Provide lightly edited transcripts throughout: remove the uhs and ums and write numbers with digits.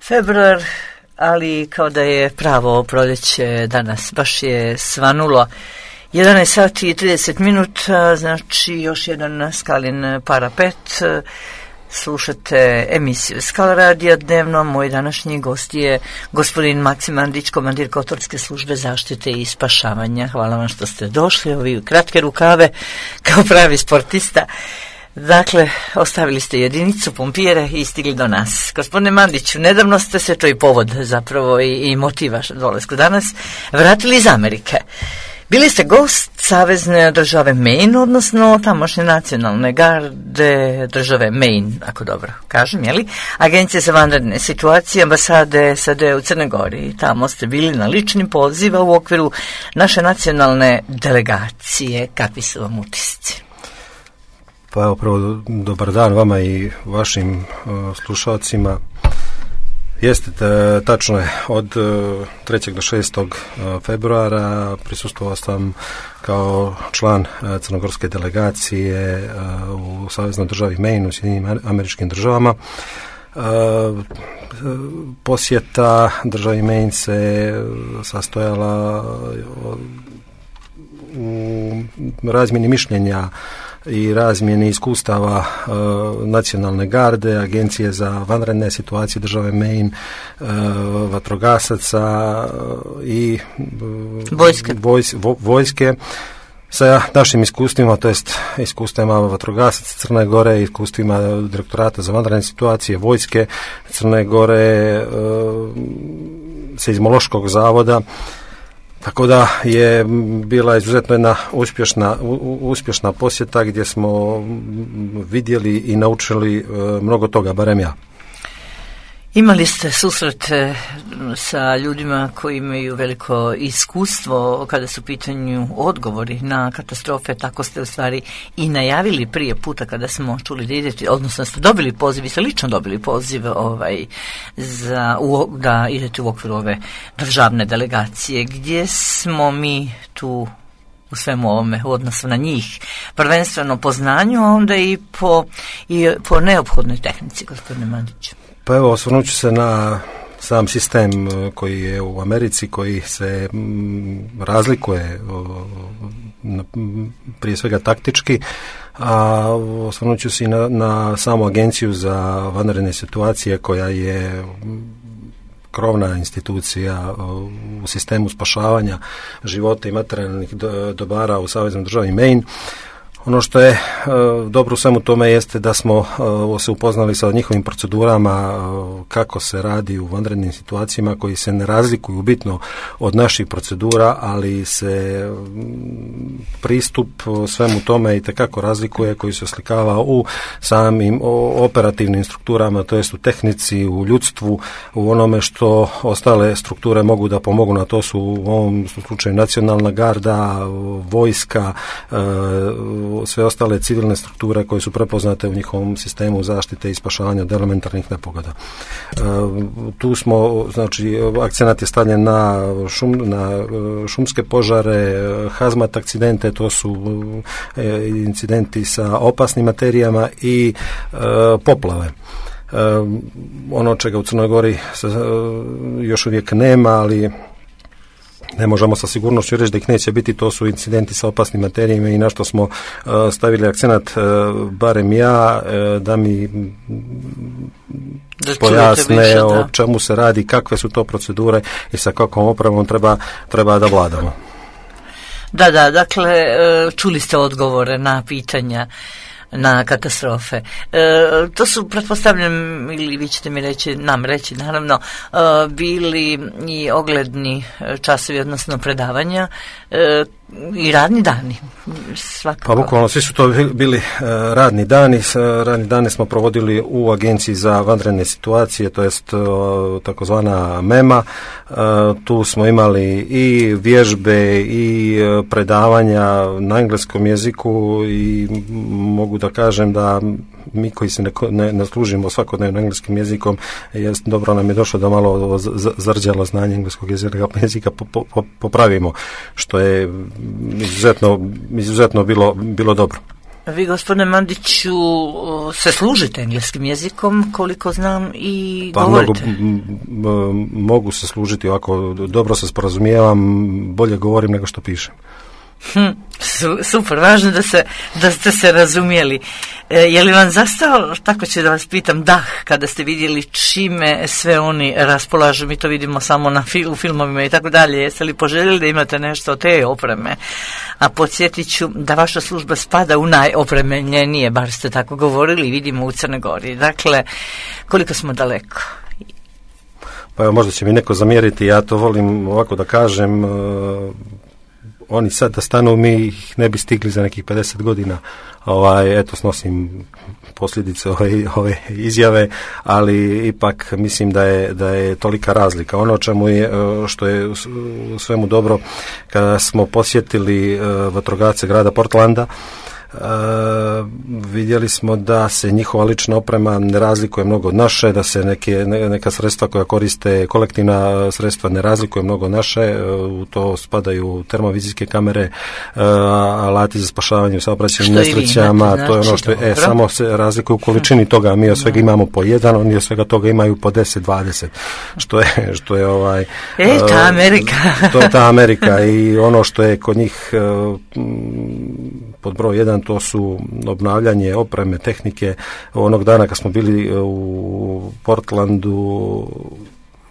Februar, ali kao da je pravo proljeće danas, baš je svanulo 11 sati i 30 minuta, znači još jedan Skalin parapet. Slušate emisiju Skala radija dnevno. Moj današnji gost je gospodin Maksim Mandić, komandir Kotorske službe zaštite i spašavanja. Hvala vam što ste došli, ovi kratke rukave kao pravi sportista. Dakle, ostavili ste jedinicu pompijere i stigli do nas. Gospodine Mandiću, nedavno ste se, to i povod zapravo i motiv vašeg dolazka danas, vratili iz Amerike. Bili ste gost savezne države Maine, odnosno tamošnje nacionalne garde države Maine, ako dobro kažem, jeli? Agencije za vanredne situacije, ambasade SAD u Crnoj Gori. Tamo ste bili na lični poziv u okviru naše nacionalne delegacije. Kakvi su vam utisci? Pa evo, prvo dobar dan vama i vašim slušalcima. Jeste, tačno je, od 3. do 6. februara prisustvovao sam kao član crnogorske delegacije u saveznoj državi Maine u Sjedinjenim Američkim Državama. Posjeta državi Maine se sastojala u razmjeni mišljenja i razmjeni iskustava nacionalne garde, agencije za vanredne situacije države Maine, vatrogasaca i vojske sa našim iskustvima, to jest iskustvima vatrogasaca Crne Gore, iskustvima direktorata za vanredne situacije, vojske Crne Gore, seizmološkog zavoda. Tako da je bila izuzetno jedna uspješna posjeta gdje smo vidjeli i naučili mnogo toga, barem ja. Imali ste susrete sa ljudima koji imaju veliko iskustvo kada su u pitanju odgovori na katastrofe, tako ste u stvari i najavili prije puta kada smo čuli da idete, odnosno ste dobili poziv, vi ste lično dobili poziv da idete u okviru ove državne delegacije. Gdje smo mi tu u svemu ovome u odnosu na njih? Prvenstveno po znanju, a onda i po neophodnoj tehnici, gospodine Mandiću. Pa evo, osvrnut ću se na sam sistem koji je u Americi, koji se razlikuje prije svega taktički, a osvrnut ću se i na samu agenciju za vanredne situacije koja je krovna institucija u sistemu spašavanja života i materijalnih dobara u saveznoj državi Maine. Ono što je dobro u svemu tome jeste da smo se upoznali sa njihovim procedurama, kako se radi u vanrednim situacijama koji se ne razlikuju bitno od naših procedura, ali se pristup svemu tome itekako razlikuje, koji se oslikava u samim operativnim strukturama, to jest u tehnici, u ljudstvu, u onome što ostale strukture mogu da pomogu. Na to su u ovom slučaju nacionalna garda, vojska, sve ostale civilne strukture koje su prepoznate u njihovom sistemu zaštite i spašavanja od elementarnih nepogoda. Tu smo, znači, akcenat je stavljen na šumske požare, hazmat akcidente, to su incidenti sa opasnim materijama i poplave. Ono čega u Crnoj Gori još uvijek nema, ali ne možemo sa sigurnošću reći da ih neće biti, to su incidenti sa opasnim materijama i na što smo stavili akcenat, barem ja, da mi pojasne o čemu se radi, kakve su to procedure i sa kakvom opremom treba da vladamo. Da, dakle, čuli ste odgovore na pitanja na katastrofe. To su, pretpostavljam, ili vi ćete mi nam reći, naravno, bili i ogledni časovi, odnosno predavanja i radni dani. Svakako. Pa bukvalno svi su to bili radni dani. Radni dani smo provodili u Agenciji za vanredne situacije, to jest takozvana MEMA. Tu smo imali i vježbe i predavanja na engleskom jeziku i mogu da kažem da mi koji se ne služimo svakodnevno engleskim jezikom, dobro nam je došlo da malo zarđalo znanje engleskog jezika popravimo, što je izuzetno bilo dobro. Vi, gospodine Mandiću, se služite engleskim jezikom, koliko znam, i govorite? Mogu se služiti ovako, dobro se sporazumijevam, bolje govorim nego što pišem. Super, važno da ste se razumijeli. Je li vam zastao, tako ću da vas pitam, dah kada ste vidjeli čime sve oni raspolažu? Mi to vidimo samo u filmovima i tako dalje. Jeste li poželjeli da imate nešto od te opreme? A podsjetit ću da vaša služba spada u najopremljenije, bar ste tako govorili, vidimo u Crnoj Gori. Dakle, koliko smo daleko? Pa možda će mi neko zamjeriti, ja to volim ovako da kažem, oni sad da stanu, mi ih ne bi stigli za nekih 50 godina. Eto, snosim posljedice ove izjave, ali ipak mislim da je tolika razlika. Ono čemu je, što je u svemu dobro, kada smo posjetili vatrogasce grada Portlanda, vidjeli smo da se njihova lična oprema ne razlikuje mnogo od naše, da se neka sredstva koja koriste, kolektivna sredstva, ne razlikuje mnogo od naše. U to spadaju termovizijske kamere, alati za spašavanje u saobraćajnim nesrećama, to je ono što je, samo se razlikuje u količini toga. Mi od svega imamo po jedan, oni od svega toga imaju po 10-20, što je ta Amerika. To je ta Amerika i ono što je kod njih pod broj 1, to su obnavljanje opreme, tehnike. Onog dana kad smo bili u Portlandu,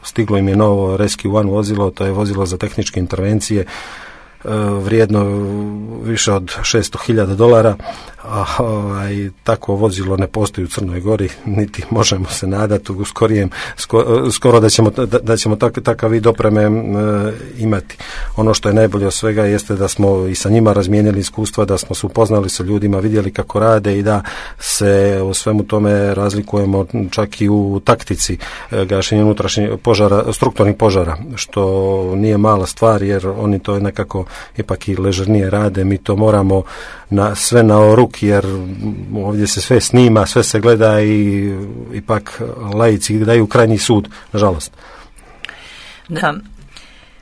stiglo im je novo Rescue One vozilo, to je vozilo za tehničke intervencije, vrijedno više od $600,000, takvo vozilo ne postoji u Crnoj Gori, niti možemo se nadati u skoro da ćemo takav vid opreme imati. Ono što je najbolje od svega jeste da smo i sa njima razmijenili iskustva, da smo se upoznali sa ljudima, vidjeli kako rade i da se u svemu tome razlikujemo čak i u taktici gašenja unutrašnjih požara, strukturnih požara, što nije mala stvar, jer oni to nekako ipak i ležernije rade. Mi to moramo sve na ruk, jer ovdje se sve snima, sve se gleda i ipak laici daju krajnji sud, nažalost. Da.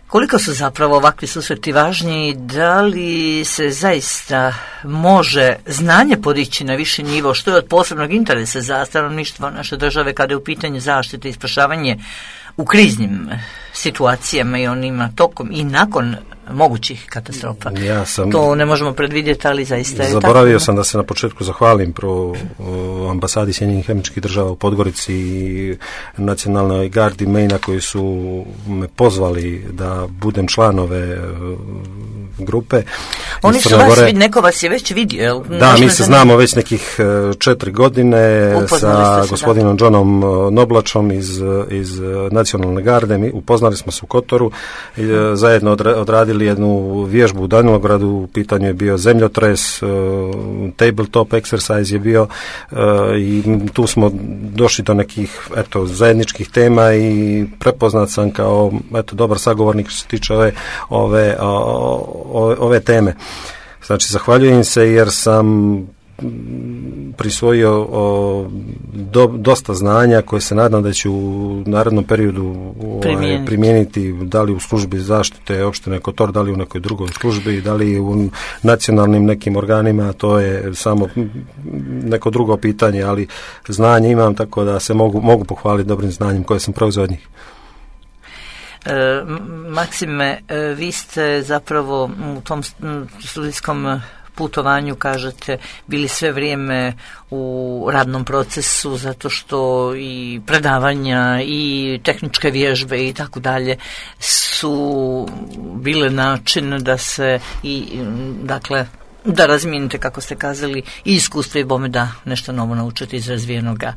Koliko su zapravo ovakvi susreti važni? Da li se zaista može znanje podići na viši nivo, što je od posebnog interesa za stanovništvo naše države kada je u pitanju zaštite i spašavanje u kriznim situacijama i onima tokom i nakon mogućih katastrofa? To ne možemo predvidjeti, ali zaista je zaboravio sam da se na početku zahvalim pro ambasadi Sjedinjenih Američkih Država u Podgorici i Nacionalnoj gardi Maina koji su me pozvali da budem članove grupe. Oni su neko vas je već vidio. Da, mi se znamo već nekih 4 godine sa gospodinom Johnom Noblačom iz Nacionalne garde. Upoznali smo se u Kotoru, zajedno odradili jednu vježbu u Danilogradu, u pitanju je bio zemljotres, tabletop exercise je bio i tu smo došli do nekih zajedničkih tema i prepoznat sam kao dobar sagovornik što se tiče ove teme. Znači, zahvaljujem se jer sam prisvojio dosta znanja koje se nadam da ću u narednom periodu primijeniti, da li u službi zaštite opštine Kotor, da li u nekoj drugoj službi, da li u nacionalnim nekim organima, to je samo neko drugo pitanje, ali znanje imam, tako da se mogu pohvaliti dobrim znanjem koje sam preuzeo od njih. Maksime, vi ste zapravo u tom studijskom putovanju, kažete, bili sve vrijeme u radnom procesu, zato što i predavanja i tehničke vježbe i tako dalje su bile način da se da razmijenite, kako ste kazali, i iskustvo i bome da nešto novo naučite iz razvijenoga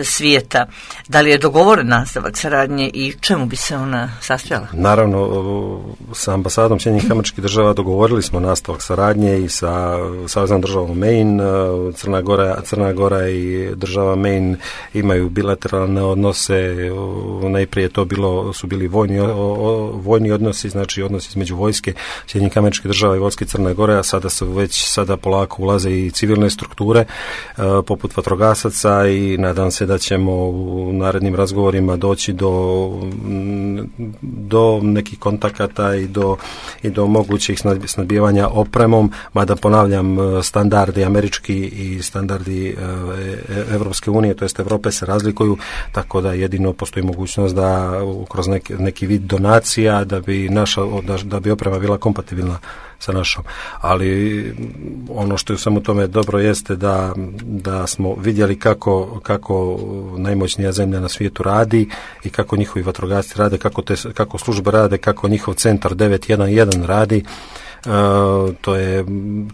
svijeta. Da li je dogovoren nastavak saradnje i čemu bi se ona sastojala? Naravno, sa ambasadom Sjedinjenih Američkih Država dogovorili smo nastavak saradnje i sa Saveznom državom Maine. Crna Gora i država Maine imaju bilateralne odnose. Najprije su bili vojni odnosi, znači odnosi između vojske Sjedinjenih Američkih Država i vojske Crne Gore, a sada polako ulaze i civilne strukture poput vatrogasaca i nadam se se da ćemo u narednim razgovorima doći do nekih kontakata i do mogućih snabdijevanja opremom, mada ponavljam, standardi američki i standardi Evropske unije, to jest Europe, se razlikuju, tako da jedino postoji mogućnost da kroz neki vid donacija da bi oprema bila kompatibilna sa našom. Ali ono što je u svemu tome dobro jeste da smo vidjeli kako najmoćnija zemlja na svijetu radi i kako njihovi vatrogasci rade, kako službe rade, kako njihov centar 911 radi. To je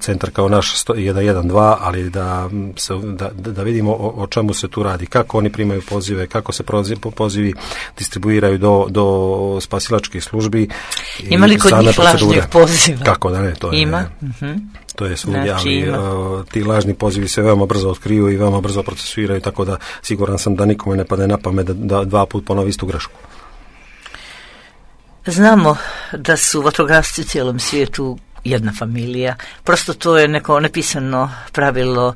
centar kao naš 112, ali da vidimo o čemu se tu radi, kako oni primaju pozive, kako se pozivi distribuiraju do spasilačkih službi. Ima li kod njih lažnih poziva? Kako da ne, to je. Ima. To je svugdje, ali ti lažni pozivi se veoma brzo otkriju i veoma brzo procesuiraju, tako da siguran sam da nikome ne padne na pamet da 2 puta ponovi istu grešku. Znamo da su vatrogasci u cijelom svijetu jedna familija. Prosto to je neko nepisano pravilo.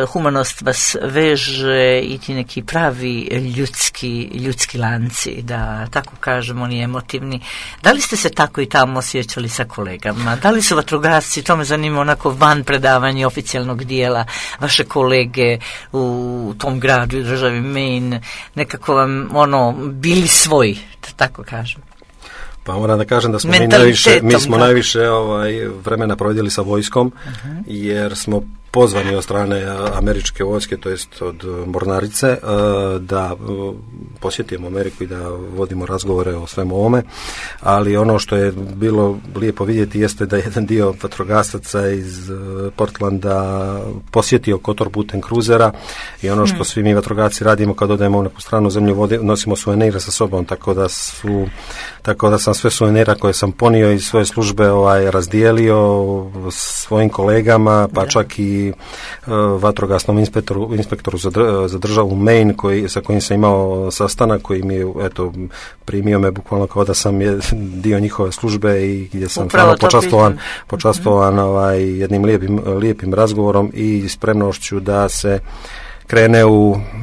Humanost vas veže i ti neki pravi ljudski lanci, da tako kažemo, oni emotivni. Da li ste se tako i tamo osjećali sa kolegama? Da li su vatrogasci, to me zanima, onako van predavanja oficijalnog dijela, vaše kolege u tom gradu i državi Maine, nekako vam bili svoji, da tako kažem? Pa moram da kažem da smo mi smo najviše vremena provedili sa vojskom, jer smo pozvani od strane američke vojske, to jest od mornarice, da posjetimo Ameriku i da vodimo razgovore o svemu ovome, ali ono što je bilo lijepo vidjeti jeste da jedan dio vatrogasaca iz Portlanda posjetio Kotor putem kruzera i ono što svi mi vatrogasci radimo kad odemo u neku stranu zemlju, nosimo suvenire sa sobom, tako da sam sve suvenira koje sam ponio iz svoje službe razdijelio svojim kolegama, pa čak i vatrogasnom inspektoru za državu Maine sa kojim sam imao sastanak, koji mi je primio me bukvalno kao da sam dio njihove službe i gdje sam počastvovan jednim lijepim razgovorom i spremnošću da se krene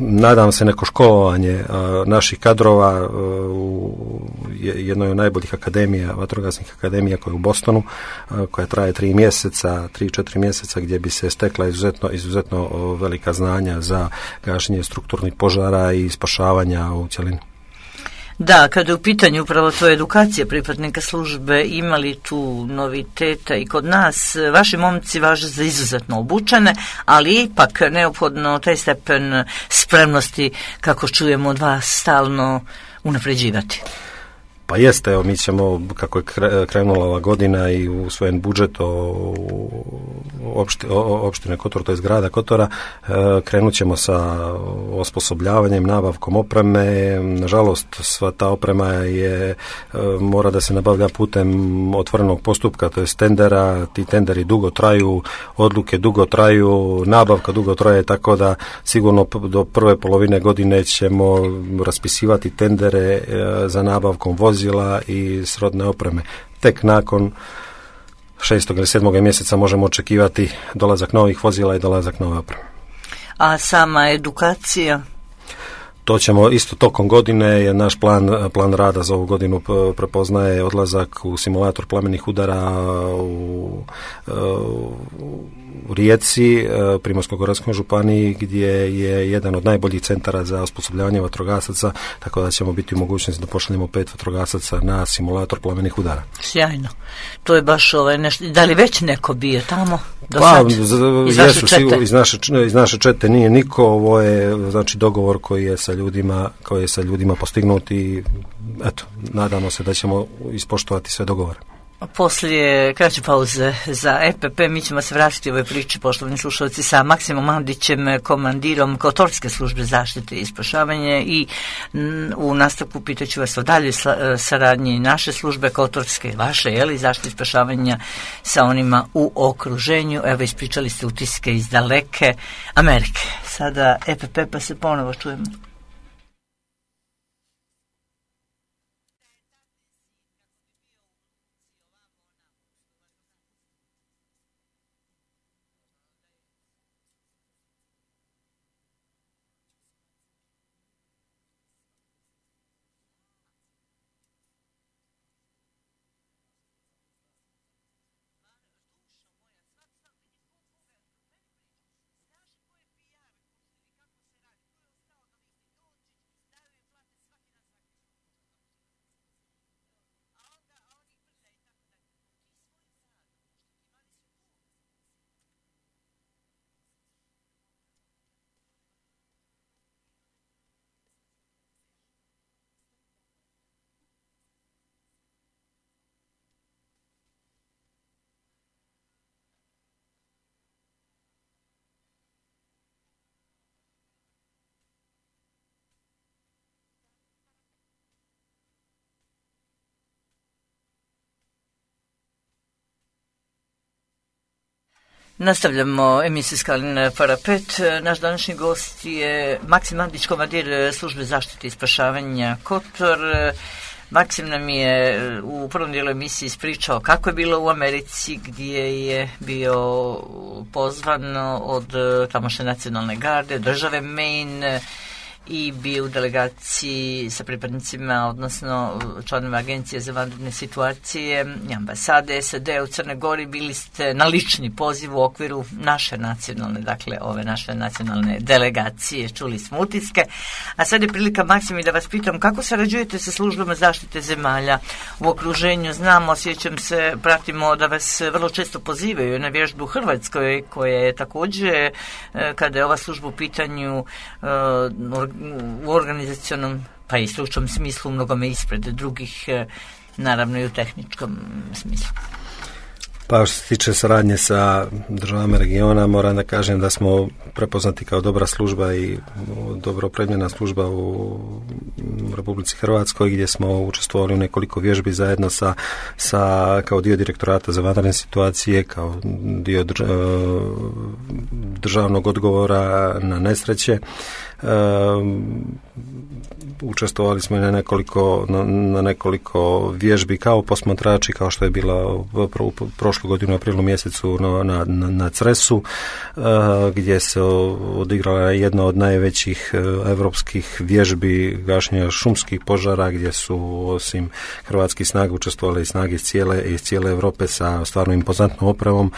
nadam se, neko školovanje naših kadrova u jednoj od najboljih akademija, vatrogasnih akademija koja je u Bostonu, koja traje 3-4 mjeseca, gdje bi se stekla izuzetno velika znanja za gašenje strukturnih požara i spašavanja u cjelini. Da, kada je u pitanju upravo to edukacija pripadnika službe, imali tu noviteta i kod nas, vaši momci važe za izuzetno obučene, ali ipak neophodno taj stepen spremnosti, kako čujemo od vas, stalno unapređivati. Pa jeste, mi ćemo, kako je krenula ova godina i usvojen budžet opštine Kotor, to je grada Kotora, krenut ćemo sa osposobljavanjem, nabavkom opreme. Nažalost, sva ta oprema mora da se nabavlja putem otvorenog postupka, to je tendera. Ti tenderi dugo traju, odluke dugo traju, nabavka dugo traje, tako da sigurno do prve polovine godine ćemo raspisivati tendere za nabavkom vozila i srodne opreme. Tek nakon 6. ili 7. mjeseca možemo očekivati dolazak novih vozila i dolazak nove opreme. A sama edukacija? To ćemo isto tokom godine, je naš plan rada za ovu godinu prepoznaje odlazak u simulator plamenih udara u Rijeci, Primorsko-goranskoj županiji, gdje je jedan od najboljih centara za osposobljavanje vatrogasaca, tako da ćemo biti u mogućnosti da pošaljemo 5 vatrogasaca na simulator plamenih udara. Sjajno. To je baš nešto. Da li već neko bio tamo? Iz naše čete nije niko. Ovo je znači dogovor koji je sa ljudima postignut i eto, nadamo se da ćemo ispoštovati sve dogovore. Poslije kraće pauze za EPP mi ćemo se vratiti u ovoj priči, poštovani slušalci, sa Maksimom Mandićem, komandirom Kotorske službe zaštite i spašavanje, i u nastavku pitaću vas o dalje saradnji naše službe Kotorske, vaše, zaštite i spašavanja sa onima u okruženju. Evo, ispričali ste utiske iz daleke Amerike. Sada EPP, pa se ponovo čujemo. Nastavljamo emisiju Skalin parapet. Naš današnji gost je Maksim Mandić, komandir službe zaštite i spašavanja Kotor. Maksim nam je u prvom dijelu emisiji ispričao kako je bilo u Americi, gdje je bio pozvan od tamošnje nacionalne garde, države Maine, i bio u delegaciji sa pripadnicima, odnosno članima Agencije za vanredne situacije i ambasade SAD u Crnoj Gori. Bili ste na lični poziv u okviru naše nacionalne, dakle ove naše nacionalne delegacije, čuli smo utiske. A sad je prilika, Maksim, da vas pitam kako sarađujete sa službama zaštite zemalja u okruženju. Znamo, sjećam se, pratimo da vas vrlo često pozivaju na vježbu u Hrvatskoj, koja je također, kada je ova služba u pitanju, u organizacionom pa i stručnom smislu mnogome ispred drugih, naravno i u tehničkom smislu. Pa što se tiče saradnje sa državama regiona, moram da kažem da smo prepoznati kao dobra služba i dobro opremljena služba u Republici Hrvatskoj, gdje smo učestvovali u nekoliko vježbi zajedno sa kao dio direktorata za vanredne situacije, kao dio državnog odgovora na nesreće. Učestvovali smo i na nekoliko vježbi kao posmatrači, kao što je bila prošlu godinu u aprilu mjesecu na Cresu, gdje se odigrala jedna od najvećih evropskih vježbi gašenja šumskih požara, gdje su osim hrvatskih snaga učestvovali i snage iz cijele Europe sa stvarno impozantnom opremom.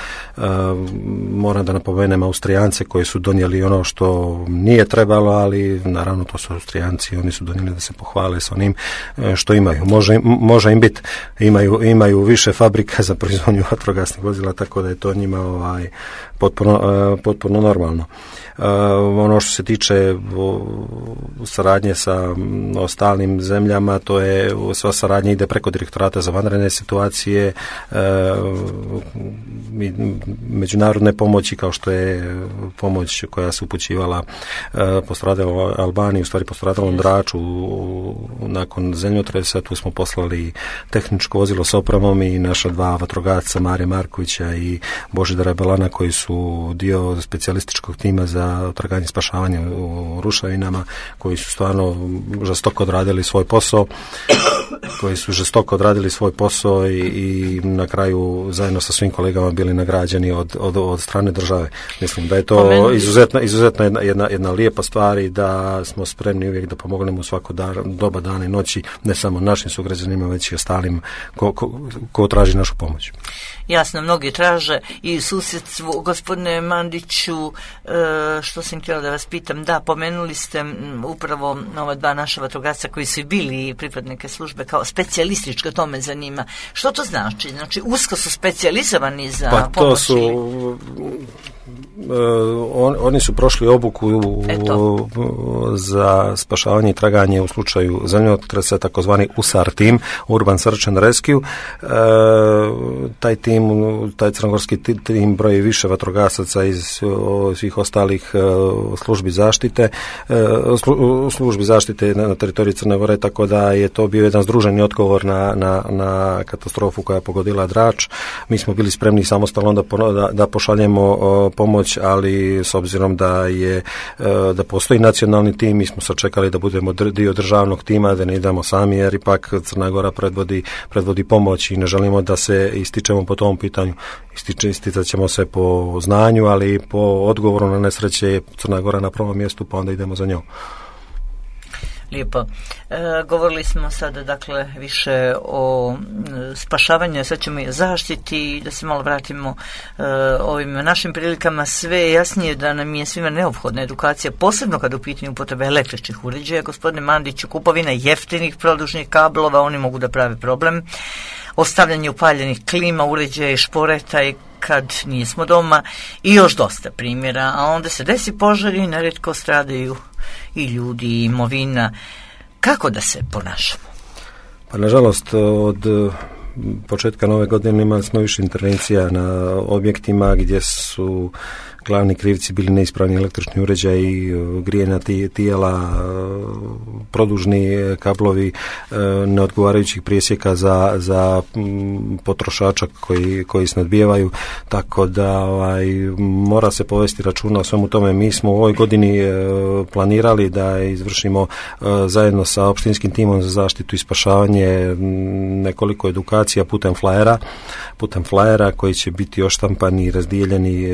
Moram da napomenem Austrijance koji su donijeli ono što nije trebalo, ali naravno to su Austrijanci, oni su donijeli da se pohvale s onim što imaju. Može im biti, imaju više fabrika za proizvodnju vatrogasnih vozila, tako da je to njima potpuno normalno. Ono što se tiče saradnje sa ostalim zemljama, to je sva saradnja ide preko direktorata za vanredne situacije, međunarodne pomoći, kao što je pomoć koja se upućivala postradaloj Albaniji, u stvari postradalom Draču nakon zemljotresa. Tu smo poslali tehničko vozilo s opremom i naša dva vatrogasca, Mare Markovića i Božidara Belana, koji su dio specijalističkog tima za traganje i spašavanje u ruševinama, koji su stvarno žestoko odradili svoj posao i na kraju zajedno sa svim kolegama bili nagrađeni od strane države. Mislim da je to izuzetno jedna lijepa stvar i da smo spremni uvijek da pomognemo u svako doba dana i noći, ne samo našim sugrađanima, već i ostalim ko traži našu pomoć. Jasno, mnogi traže i susjedstvu. Gospodine Mandiću, što sam htjela da vas pitam, da, pomenuli ste upravo ova dva naša vatrogasca koji su bili pripadnike službe kao specijalističko, to me zanima. Što to znači? Znači, usko su specijalizovani za pomoć? To su oni su prošli obuku za spašavanje i traganje u slučaju zemljotresa, takozvani USAR tim, Urban Search and Rescue. Taj crnogorski tim broji više vatrogasaca iz svih ostalih službi zaštite na teritoriji Crne Gore, tako da je to bio jedan združeni odgovor na katastrofu koja je pogodila Drač. Mi smo bili spremni samostalno da pošaljemo pomoć, ali s obzirom da postoji nacionalni tim, mi smo sačekali da budemo dio državnog tima, da ne idemo sami, jer ipak Crna Gora predvodi pomoć i ne želimo da se ističemo po tom pitanju. Isticat ćemo se po znanju, ali po odgovoru na nesreće je Crna Gora na prvom mjestu, pa onda idemo za njom. Lijepo. Govorili smo sada dakle više o spašavanju, sad ćemo i o zaštiti, da se malo vratimo ovim našim prilikama. Sve je jasnije da nam je svima neophodna edukacija, posebno kada u pitanju upotrebe električnih uređaja. Gospodine Mandiću, kupovina jeftinih produžnih kablova, oni mogu da prave problem. Ostavljanje upaljenih klima, uređaja i šporeta i kad nismo doma i još dosta primjera, a onda se desi požari i nerijetko stradaju i ljudi i imovina. Kako da se ponašamo? Pa nažalost od početka nove godine imali smo više intervencija na objektima gdje su glavni krivci bili neispravni električni uređaji, grijena tijela, produžni kablovi neodgovarajućih presjeka za potrošača koji se nadbijevaju, tako da mora se povesti računa o svemu tome. Mi smo u ovoj godini planirali da izvršimo zajedno sa opštinskim timom za zaštitu i spašavanje nekoliko edukacija putem flajera koji će biti oštampani i razdijeljeni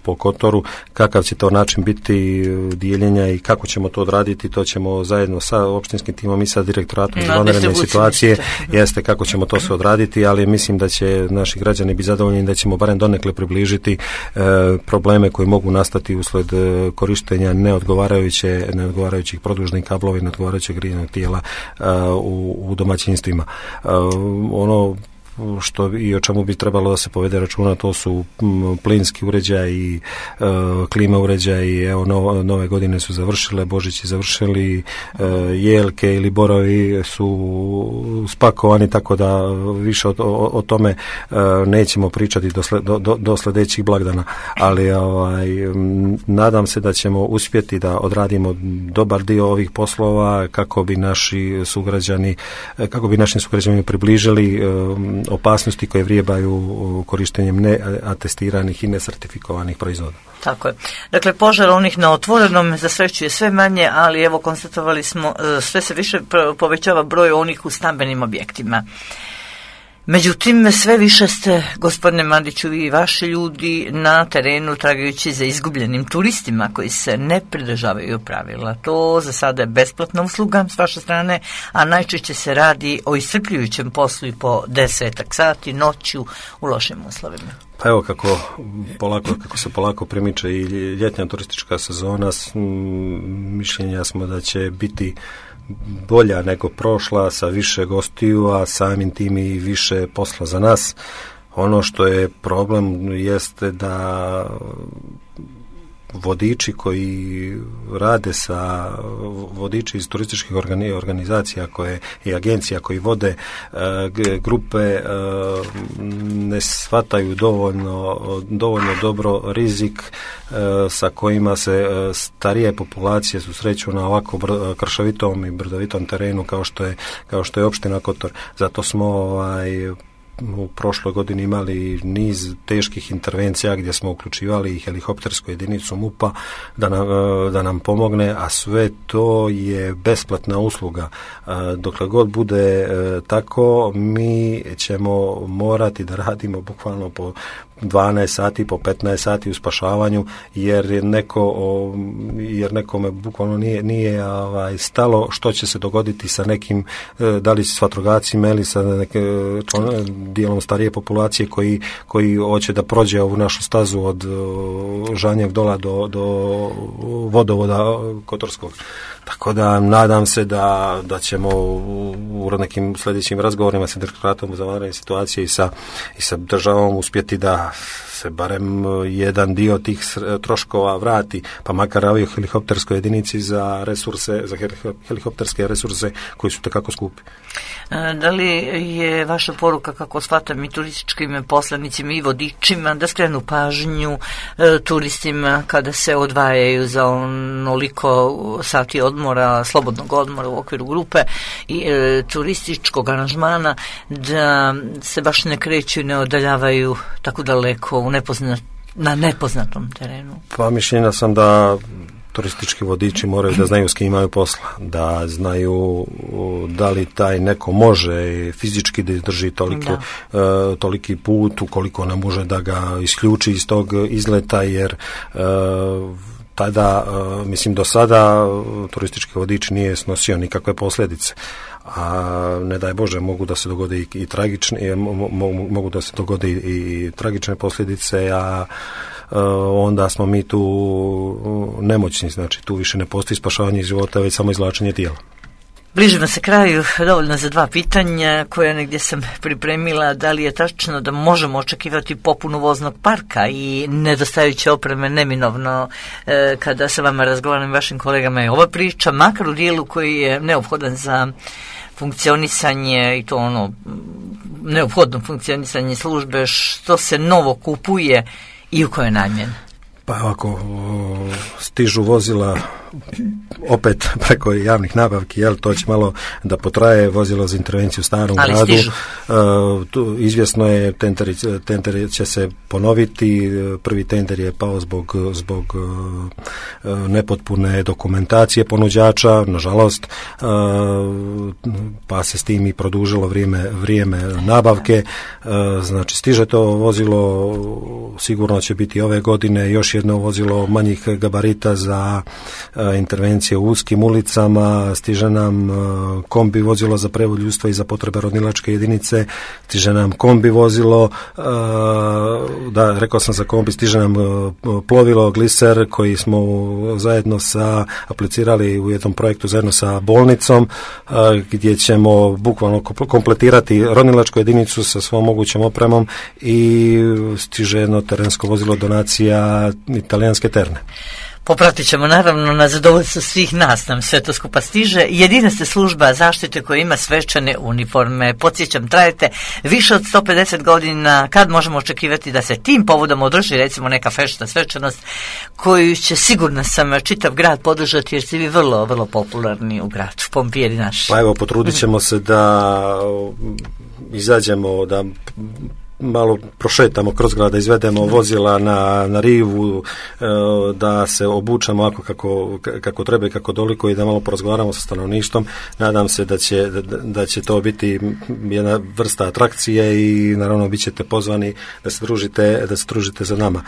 po Kotoru, kakav će to način biti dijeljenja i kako ćemo to odraditi, to ćemo zajedno sa opštinskim timom i sa direktoratom za vanredne situacije, jeste kako ćemo to sve odraditi, ali mislim da će naši građani biti zadovoljni, da ćemo barem donekle približiti probleme koji mogu nastati usled korištenja neodgovarajućih produžnih kablova i neodgovarajućeg grijenog tijela u domaćinstvima. Ono što i o čemu bi trebalo da se povede računa, to su plinski uređaji, klima uređaji. Evo, nove godine su završile, Božići završili, jelke ili borovi su spakovani, tako da više o tome nećemo pričati do sljedećih blagdana, ali nadam se da ćemo uspjeti da odradimo dobar dio ovih poslova kako bi našim sugrađanima približili opasnosti koje vrijebaju korištenjem neatestiranih i nesertifikovanih proizvoda. Tako je. Dakle, požar onih na otvorenom za sreću je sve manje, ali evo konstatovali smo sve se više povećava broj onih u stambenim objektima. Međutim, sve više ste, gospodine Mandiću, i vaši ljudi na terenu tragajući za izgubljenim turistima koji se ne pridržavaju pravila. To za sada je besplatna usluga s vaše strane, a najčešće se radi o iscrpljujućem poslu i po 10 sati noću u lošim uslovima. Pa evo kako se polako premiče i ljetna turistička sezona, mišljenja smo da će biti bolja nego prošla, sa više gostiju, a samim tim i više posla za nas. Ono što je problem jeste da vodiči koji rade vodiči iz turističkih organizacija i agencija koji vode grupe ne shvataju dovoljno dobro rizik sa kojima se starije populacije susreću na ovako kršovitom i brdovitom terenu kao što je opština Kotor. Zato smo u prošloj godini imali niz teških intervencija gdje smo uključivali helikoptersku jedinicu MUP-a da nam pomogne, a sve to je besplatna usluga. Dokle god bude tako, mi ćemo morati da radimo bukvalno po 12 sati, po 15 sati u spašavanju, jer nekome bukvalno nije stalo što će se dogoditi sa nekim, da li s vatrogascima ili sa dijelom starije populacije koji hoće da prođe ovu našu stazu od Žanjeg dola do vodovoda Kotorskog. Tako da nadam se da ćemo u nekim sljedećim razgovorima sa direktoratom za vanredne situacije i sa državom uspjeti da se barem jedan dio tih troškova vrati, pa makar avio helikopterskoj jedinici za helikopterske resurse koji su takako skupi. Da li je vaša poruka, kako shvatam, i turističkim poslanicima i vodičima da skrenu pažnju turistima kada se odvajaju za onoliko sati odmora, slobodnog odmora u okviru grupe i turističkog aranžmana, da se baš ne kreću i ne odaljavaju tako daleko na nepoznatom terenu? Pa mišljenja sam da turistički vodiči moraju da znaju s kim imaju posla, da znaju da li taj neko može fizički da izdrži toliki put, ukoliko ne može da ga isključi iz tog izleta, jer tada, mislim, do sada turistički vodič nije snosio nikakve posljedice, a ne daj Bože mogu da se dogode i tragične, mogu da se dogode i tragične posljedice, a onda smo mi tu nemoćni, znači tu više ne postoji spašavanje života, već samo izvlačenje tijela. Bližimo se kraju, dovoljno za 2 pitanja koje negdje sam pripremila. Da li je tačno da možemo očekivati popunu voznog parka i nedostajuće opreme neminovno kada sa vama razgovaram, vašim kolegama, je ova priča, makar u dijelu koji je neophodan za funkcionisanje i to ono neophodno funkcionisanje službe, što se novo kupuje i u kojoj namjeni? Pa ako stižu vozila opet preko javnih nabavki, to će malo da potraje, vozilo za intervenciju u starom gradu. Izvjesno je, tender će se ponoviti, prvi tender je pao zbog nepotpune dokumentacije ponuđača, nažalost, pa se s tim i produžilo vrijeme nabavke. Znači, stiže to vozilo, sigurno će biti ove godine još jedno vozilo manjih gabarita za intervencije u uskim ulicama, stiže nam kombi vozilo za prevoz ljudstva i za potrebe ronilačke jedinice, stiže nam kombi vozilo, rekao sam za kombi, stiže nam plovilo gliser koji smo zajedno aplicirali u jednom projektu zajedno sa bolnicom, gdje ćemo bukvalno kompletirati ronilačku jedinicu sa svom mogućom opremom i stiže jedno terensko vozilo donacija Italijanske Terne. Popratit ćemo naravno na zadovoljstvo svih nas, nam sve to skupa stiže. Jedina ste služba zaštite koja ima svečane uniforme. Podsjećam, trajete više od 150 godina. Kad možemo očekivati da se tim povodom održi recimo neka fešta svečanost koju će sigurno sam čitav grad podržati, jer ste vi vrlo, vrlo popularni u gradu, pompijeri naši. Pa evo, potrudit ćemo se da izađemo, da malo prošetamo kroz grad, da izvedemo vozila na rivu, da se obučamo ovako kako treba i kako doliko i da malo porazgovaramo sa stanovništvom. Nadam se da će to biti jedna vrsta atrakcije i naravno bit ćete pozvani da se družite za nama.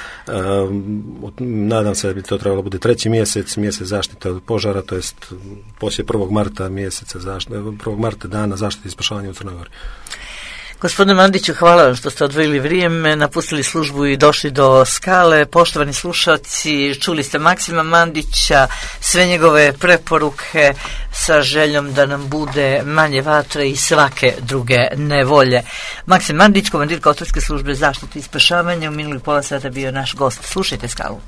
Nadam se da bi to trebalo bude 3. mjesec zaštite od požara, to jest poslije 1. marta 1. marta dana zaštite i spašavanja u Crnoj Gori. Gospodine Mandiću, hvala vam što ste odvojili vrijeme, napustili službu i došli do Skale. Poštovani slušalci, čuli ste Maksima Mandića, sve njegove preporuke sa željom da nam bude manje vatre i svake druge nevolje. Maksim Mandić, komandir Kotorske službe zaštite i spašavanja, u minulih pola sata bio naš gost. Slušajte Skalu.